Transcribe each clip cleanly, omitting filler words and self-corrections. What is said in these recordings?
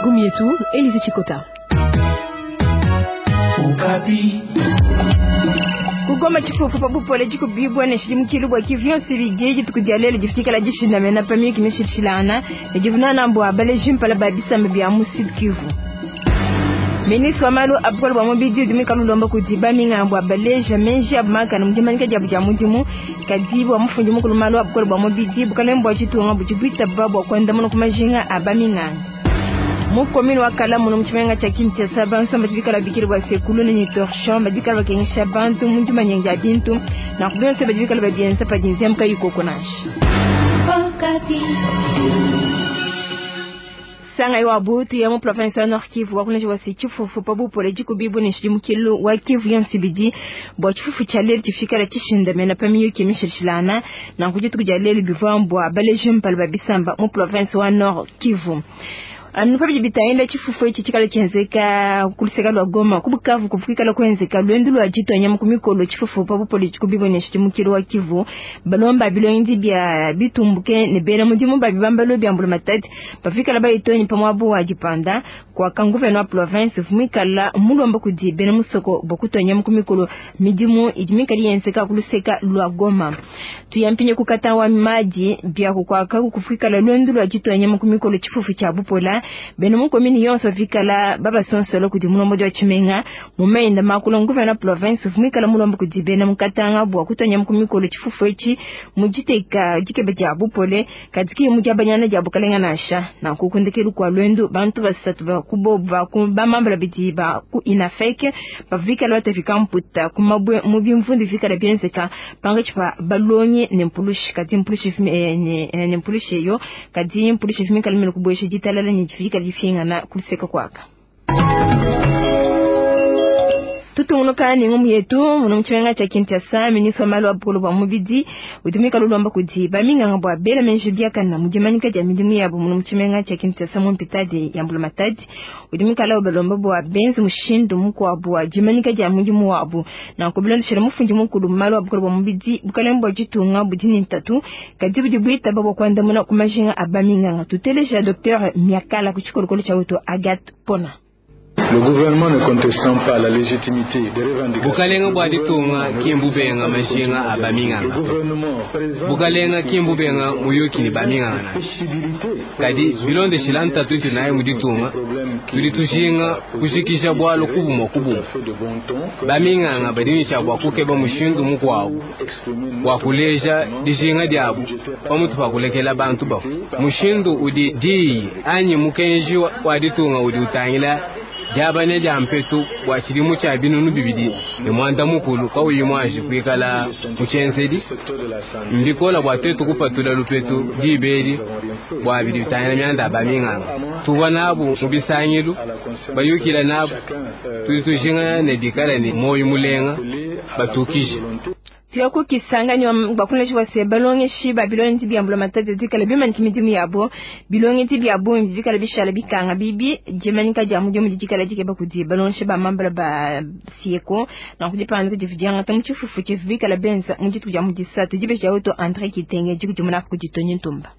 Gumietu, Elise Chikota. Kugoma tshifufu pa bupole dikubibua ne tshidimukilu bua Kivu yonso ibidi dituku dia lelu difikala dishindamena pa miyuki mishilashilangana ne divunana bua baleji mpala ba bisamba bia mu Sud Kivu. Ministre wa malu a bukole bua mubidi udi muikale ulomba kudi baminganga bua baleja meji abu makane mu dimanyika diabu dia mudimu, kadi bua mufundi mukulu malu a bukole bua mubidi bukalenge bua ditunga budi buitaba bua kuandamuna ku majinga a baminganga. Mu commune wa Kalamu mu tshimenga tshia Kinshasa bansamba badi bikala bikile bua sekulu ne torchon badi bikala bakengesha bantu mu dimanya dia bintu nanku bionso badi bikala babienza padi nzembu kayi koko nansha. Sanga wa butu ya mu province ya Nord Kivu wakuleja wa se tshifufu pa bupole dikubibu ne tshidimukilu wa Kivu yonso ibidi bua tshifufu tshia lelu tshifikala tshishindamena pa miyuki mishilashilangana nanku dituku dia lelu bivua bua baleji mpala ba bisamba mu province wa Nord Kivu. Anu pa bidi bitangila tshifufu etshi tshikala tshienzeka ku luseka lua Goma ku Bukavu kufikala kuenzeka luendu lua ditua nyama ku mikolo tshifufu pa bupole dikubibu ne tshidimukilu wa Kivu balomba bilongi bia bitumbuke ne bena mudimu ba bibambalo bia mbulamatadi bafikala bayitonyi pa muabu wa dipanda kwa kanguvena wa province vumikala mulomba kudi bena musoko bua kutua nyama ku mikolo midimu idi mikali yenzeka ku luseka lua Goma. Tuyampinye kukata wa maji bia kukwaka kufikala luendu lua ditua nyama ku mikolo tshifufu tshia bupola bena mu commune yonso vikala babasonsolo kudi mulombo wa tshimenga mumenda makulu nguvena province vumikala mulombo kudi bena mukatanga bua kutua nyama ku mikolo tshifufu etshi mujiteka dikebe dia bupole kadi mu diabanyana dia bukalenga nansha nanku kundekelu kua luendu bantu basatu ba kubobu ba ku bamambala bidi ba ku inafeke bavikala batafika mputa ku mabwe mu bimvundu vikala bienzeka pangatshi pa balongi ne mpulushi kadi mpulushi ne mpulushi eyo kadi mpulushi vimikala mene kubuesha ditalala ne difika difingana kuluseka kwaka. Tutungunuka ne ngumu yetu muno mu tshimenga tshia Kinshasa ministre wa malu a bukole bua mubidi udi muikale ulomba kudi baminganga bua bela meji biakana mu dimanyika dia midimu yabo muno mu tshimenga tshia Kinshasa mu mpitadi ya mbulamatadi udi muikale ubalomba bua benze mushindu mukuabu wa dimanyika dia mudimu wabu nanku bilondeshela mufundi mukulu mu malu a bukole bua mubidi bukalenge bua ditunga budi ne ntatu kadi budi buitaba bua kuandamuna ku majinga a baminganga. Tuteleja Dr Miakala ku tshikolokolo tshia wetu Agathe Pona. Le gouvernement ne contestant pas la légitimité des revendications. Bukalenga bua ditunga ki mbubenga majinga a baminganga to. Bukalenga ki mbubenga muyuki ne baminganga nansha. Kadi bilondeshila ntatu itu nayi mu ditunga, tudi tujinga kujikija bualu kubumue kubumue. Baminganga badi ne tshia bua kukeba mushindu mukuabu wa kuleja dijinga diabu pamutu pa kulekela bantu bafua. Mushindu udi diyi anyi mukenji wa ditunga udi utangila diabanya dia mpetu bua tshidimu tshia 2016 kauyi muanji kuikala mu tshienzedi mbikola bua tuetu kupatula lupetu dibeli bua bidi bitangila mianda ya baminganga. Tuvua nabu mu bisangilu bayukila nabu, tudi tujinga ne bikala ne muoyo mulenga batukije. Tuya ku Kisangani bakuleja bua se balongeshi ba bilongi bia mbulamatadi dikala bimanyika midimu yabo bilongi bia bungi dikala bishala bikanga bibi dimanyika dia mudimu dikala dikeba kudi balongeshi ba mambala ba sieko nanku dipanga kudi diangata mu tshifufu tshivu bikala benza mu dituku dia mu disatu dibeja wetu André Kitenge dikudimuna kudi Tony Ntumba.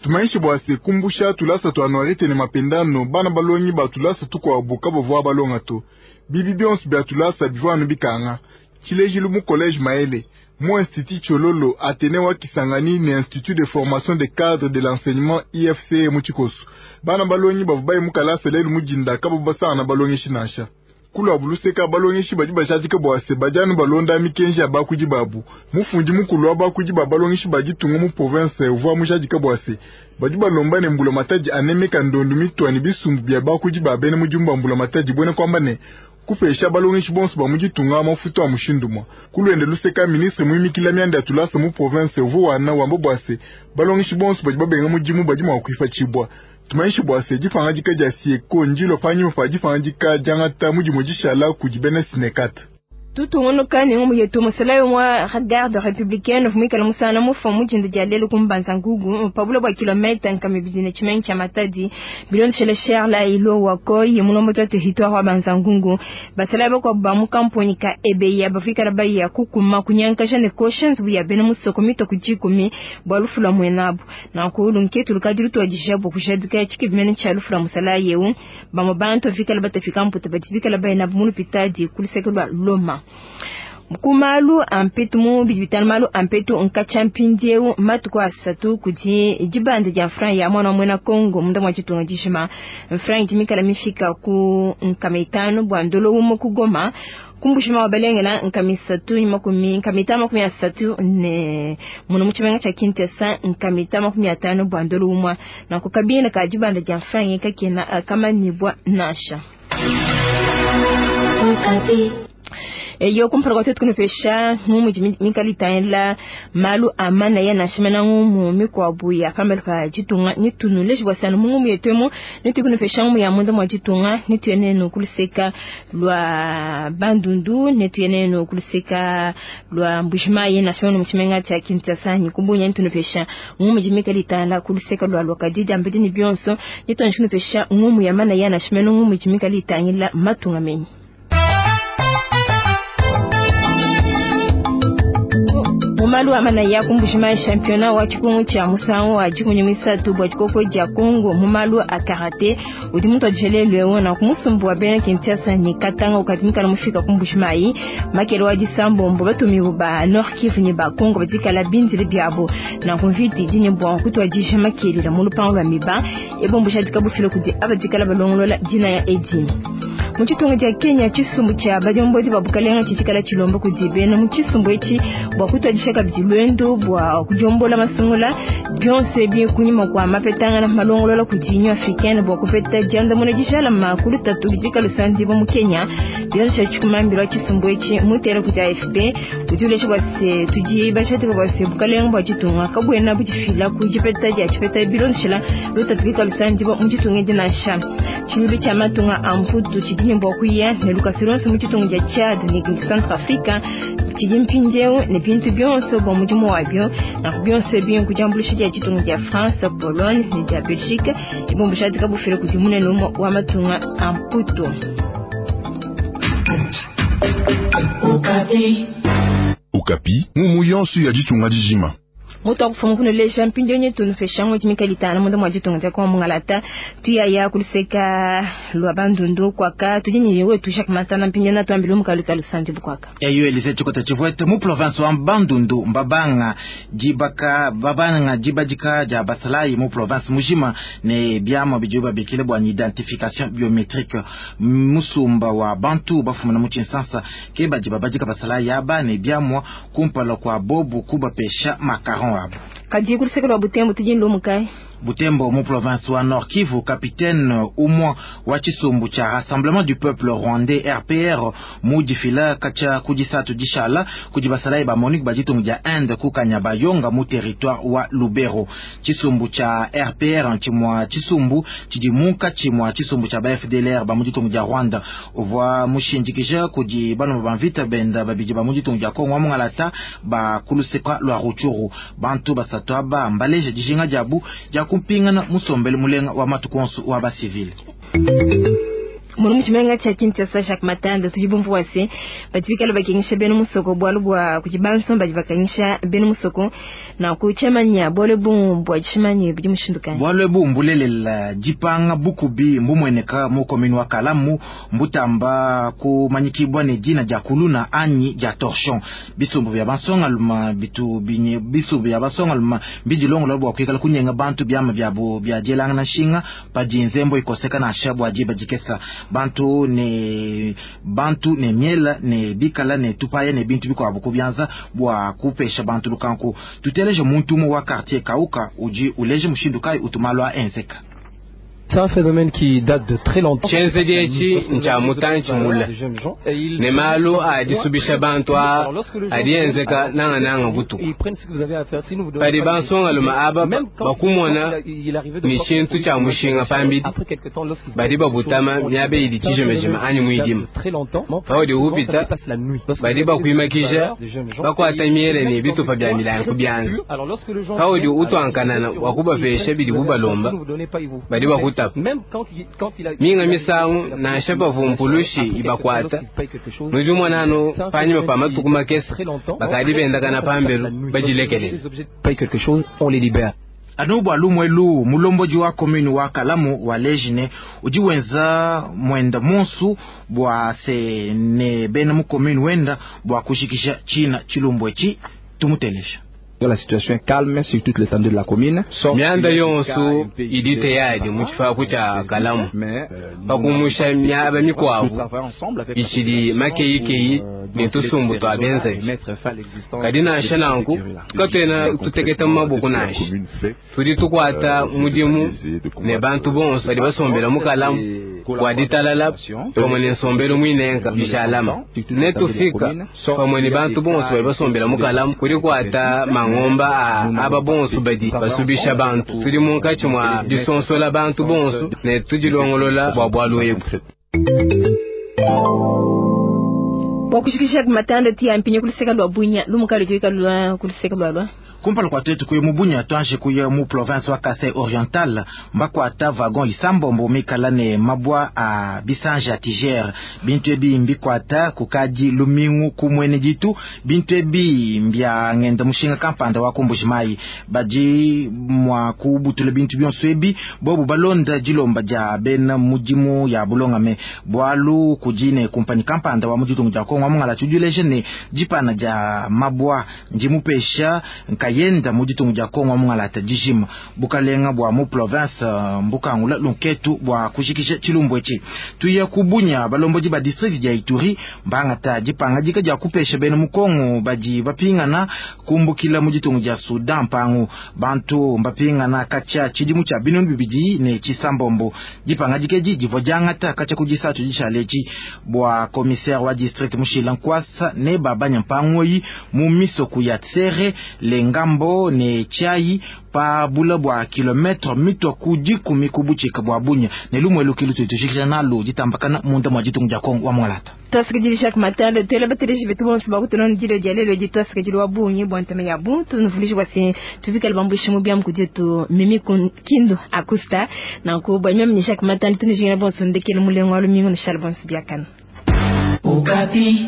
Tumaishi bua se kumbusha tulasa twa anuarite ne mapendano bana balongi ba tulasa tukuabu kabavua balonga to bibi bionso bia tulasa bivua anu bikanga tshilejilu mu collège Maele mu institut Chololo Athénée wa Kisangani ne institut de formation des cadres de l'enseignement IFC mu Tshikoso bana balongi bavua baye mu kalasa lelu mu dinda kabavua basangana balongeshi nansha kuluabu luseka balongeshi badi bajadika bua se badi anu balonda mikenji ya bakuidi babu. Mufundi mukulu wa bakuidi ba balongeshi ba ditunga mu province uvua mujadika bua se badi balomba ne mbulamatadi anemeka ndondu mitua ne bisumbu bia bakuidi ba bena mudimu ba mbulamatadi buena kuamba ne kupesha balongeshi bonso ba mu ditunga mafutu a mushindu mwa kuluende luseka ministre muimikila mianda ya tulasa mu province uvua wana wamba bua se balongeshi bonso badi babenga mudimu badi mua kuipatshibua. Tumaishi bua se dipangadika dia sieko ndilo panyima pa dipangadika diangata mudimu dishala kudi bena sinekata. Tutungunuka ne ngumu yetu musalayi wa garde républicaine vumikala musana mufa mujinda dia lelo kumbanza ngugu pabula bwa kilomita nkame bidine chimenyi cha Matadi bilonshele Charles ilo wakoi mulombo twa territoire wa banza ngungu basalayi bakwa ba mu kampuni ka ebeya bafikala baya kukuma kunyanka ne cautions buya bena musoko mito kujikumi bwa lufula mwenabu na kulu nketu lukadiru twa dijabo kujadika chikibimene cha lufula musalayi eu ba bantu fikala batafika mputa batibikala bayina mu lupitadi kulisekelwa loma kumalu ampetu mu bidibitana malu ampetu nkacha mpindieu matuku asatu kudi dibanda dia franc ya mwana mwena Congo munda mwa chitunga dishima franc dimikala mifika ku nkamitano bwa ndolo umo kugoma kumbushima wabalengela nkamisatu makumi nkamita 30 ne muno muchimenga cha Kinshasa nkamita 50 bwa ndolo umwa na kukabina ka dibanda dia franc kakena kama nibwa nasha. Eyo kumpara kwa kunufesha ngumu mikalita malu amana ya nashimana ngumu mikwabu ya pambele pa jitunga nitunule jibwasana mungu yetwemo nitukunufesha ngumu ya munda mwa jitunga nituyeneno kuluseka lwa Bandundu nituyeneno kuluseka lwa Mbujimayi nashimana muchimenga cha Kinshasa nikumbunya nitunufesha ngumu jimikalita la kuluseka lwa lwakadidi ambedi ni bionso nitunufesha ngumu ya mana ya nashimana ngumu jimikalita ngila matunga menyi. Mumalu amana ya kumbushima championnat wa chikungu cha musango wa jikunyu misatu bwa chikoko ja Kongo mumalu a karate udi muntu ajelelwe na kumusumbu wa bena Kinshasa ni katanga ukatimika na mufika kumbushima yi makelo wa disambombo batumi ba Nord Kivu ni ba Kongo batikala binzile byabo na kumviti dini bwa kutwa jisha makelera mu lupango lwa miba ebombusha dikabufilo kudi abatikala balongolola jina ya Edini. Muchitunga cha Kenya chisumbu cha bajombozi babukalenga chichikala chilombo kudibena muchisumbu echi bwa kutwa kabidi lwendo bwa kujombola masungula byonse bi kunyima kwa mapetanga na malongolola kudinya africaine bwa kupeta janda muna jishala makulu tatu bijika lusandi bo mu Kenya byonse chikumambira chisumbu echi mutera ku AFP kujulesha bwa se tuji bashati bwa se bukalenga bwa chitunga kabwena bujifila kujipeta ja chipeta bilonshela lutatu lusandi bo muchitunga dinasha chilubi cha matunga amputu chidinye bwa kuya ne lukasironse muchitunga ja Chad ni Centrafrica chijimpinjeu ne bintu byonse bo mujimu wabyo na byonse byo kujambulisha ja chitunga ja France, Pologne ni ja Belgique ibombusha dikabufire kujimune no wa matunga amputu. Okapi mumu yonso ya ditunga dijima Moto akufumu kuno leja mpindio nyetu nufeshango jimikalitana mundo mwa jitunga kwa mungalata tuya ya kuliseka lwa Bandundu kwaka tujinyi wetu Jacques Matana mpindio na tuambilu mukaluka lusanji bukwaka. Eyo Elise chikota chivwete mu province wa Bandundu mbabanga jibaka babanga jibajika ja basalai mu province mujima ne biamo bijuba bikile bwa identification biometrique musumba wa Bantu bafumana mu Kinshasa ke bajiba bajika basalai yaba ne biamo kumpala kwa bobu kubapesha makaron. Kaji kulisekela Butembo tujinlo mukai Butembo mu province wa Nord Kivu, capitaine umwa wa chisumbu cha Rassemblement du Peuple Rwandais RPR mujifila kacha kujisatu jishala kujibasalai ba Monique bajitungu ja Inde kukanya bayonga mu territoire wa Lubero. Chisumbu cha RPR nchimwa chisumbu chijimuka chimwa chisumbu cha ba FDLR ba mujitungu ja Rwanda uvwa mushinjikisha kujibano bamvita benda babiji ba mujitungu ja Kongo mungalata ba kuluseka lwa Ruchuru bantu basatu aba mbaleje jishinga jabu ja kumpingana musombele mulenga wa matukonsu wa ba civil. Munu muchimenga cha Kinshasa Jacques Matanda tujibumvu wase batibikala bakingisha benu musoko bwalu bwa kujibanso bajibakangisha benu musoko na kuchamanya bwale bumbu ajishimanye bidi mushindukanye bwale bumbu lelela jipanga bukubi mbumweneka mu komini wa Kalamu mbutamba kumanyikibwa ne jina ja kuluna anyi ja torchon bisumbu bya bansonga luma bitu binye bisumbu bya bansonga luma bidilongo bwa kwikala kunyenga bantu byama byabo bya jelanga na shinga pajinzembo ikoseka na shabwa jiba jikesa bantu ne miela ne bikala ne tupaya ne bintu biko kubyanza bwa kupesha bantu lukanku tuteleje muntu mu wa quartier kauka uji uleje mushindu kai utumalwa enzeka. C'est un phénomène qui date de très longtemps. Tshienzedi etshi ntshia mutantshi mule ne malu a disubisha bantu aa adi enzeka nangananga butuku. Padi bansongalume aba bakumona ne tshintu tshia mushinga pambidi, badi babutama miaba idi tshijimajima anyi muidima. Paudi upita, badi bakuimakija, bakuata miele ne bitupa bia milayi ku bianza. Paudi utuankanana bua kubapesha bidibu balomba, badi bakutapa. Minga misangu, nansha pavua mpulushi ibakuata, nudi umona anu panyima pa matuku makese bakadi bendakana pambelu badilekelele. Anu bua lumu elu, mulombodi wa commune wa Kalamu wa Lejine udi wenza muenda monsu bua se ne bena mu commune wenda bua kujikija tshina tshilumbu etshi. Tumuteleja. La situation est calme sur toute l'étendue de la commune. Mianda yonso idi teyadi mu tshifaku tshia Kalamu, pa kumusha miaba mikuabu itshidi makeyikeyi ne tusumbu tua benzavi. Kadi nansha nanku katuena tuteketa mu maboko nansha, tudi tukuata mudimu ne bantu bonso badi basombela mu Kalamu bua ditalala pamue ne nsombelu muinenka bishalama. Netufika pamue ne bantu bonso badi basombela mu Kalamu kudi kuata mangomba a aba bonso badi basubisha bantu. Tudi munkatshi mua disonsola bantu bonso ne tudilongolola bua bualu ebu. Bua kushikisha matanda ti ampinye kuluseka lwa Bunya lumuka lutuika lwa kuluseka lwa lwa kumpala kua tuetu kuya mu Bunya tuanji kuya mu province wa Kasai Oriental mbakuata wagon isambombo mikala ne mabwa a bisanja ya tigere. Bintu ebi mbikuata kukadi lumingu kumwene ditu. Bintu ebi mbia ngenda mushinga kampanda wa kumbuji mai badi mwa kubutula bintu bionso ebi bobu balonda dilomba dia bena mudimu ya bulongame bwalu kudine kumpani kampanda wa muditungu dia Kongo mungala tudileje ne dipana dia mabwa ndimupesha nkayenda muditungu dia Kongo mungala ta dijima bukalenga bwa mu province mbukangula lunketu bwa kushikisha tshilumbu etshi. Tuya kubunya balombodi ba district dia Ituri mbangata dipanga dika dia kupesha bena mukongo badi bapingana kumbukila muditungu dia Sudan mpangu bantu mbapingana kacha tshidimu tshia binunu bibidi ne tshisambombo. Dipanga dika edi divua diangata kacha kudisatu dishalechi bwa commissaire wa district Mushila Nkwasa ne babanya mpangoyi mu misoku ya Tsere Lengambo ne Chai pa bula bwa kilometre mitwa ku 10 kubuchika bwa Bunya ne lumwe lukilu tutushikisha nalo ditambakana munda mwa ditungu dia Kongo wa Mwalata. Twasikidili Jacques Matanda tele bateleji betu bonso bakutona ndilo dia lelo di twasikidili wa Bunyi bwa ntame ya buntu nuvulishi wasi tuvika libambushi mu bya mkujetu mimi kindu akusta na kubwa mimi ni Jacques Matanda tunijinga bonso ndekele mulengo wa lumingo ni shalbonso biakana. Okapi.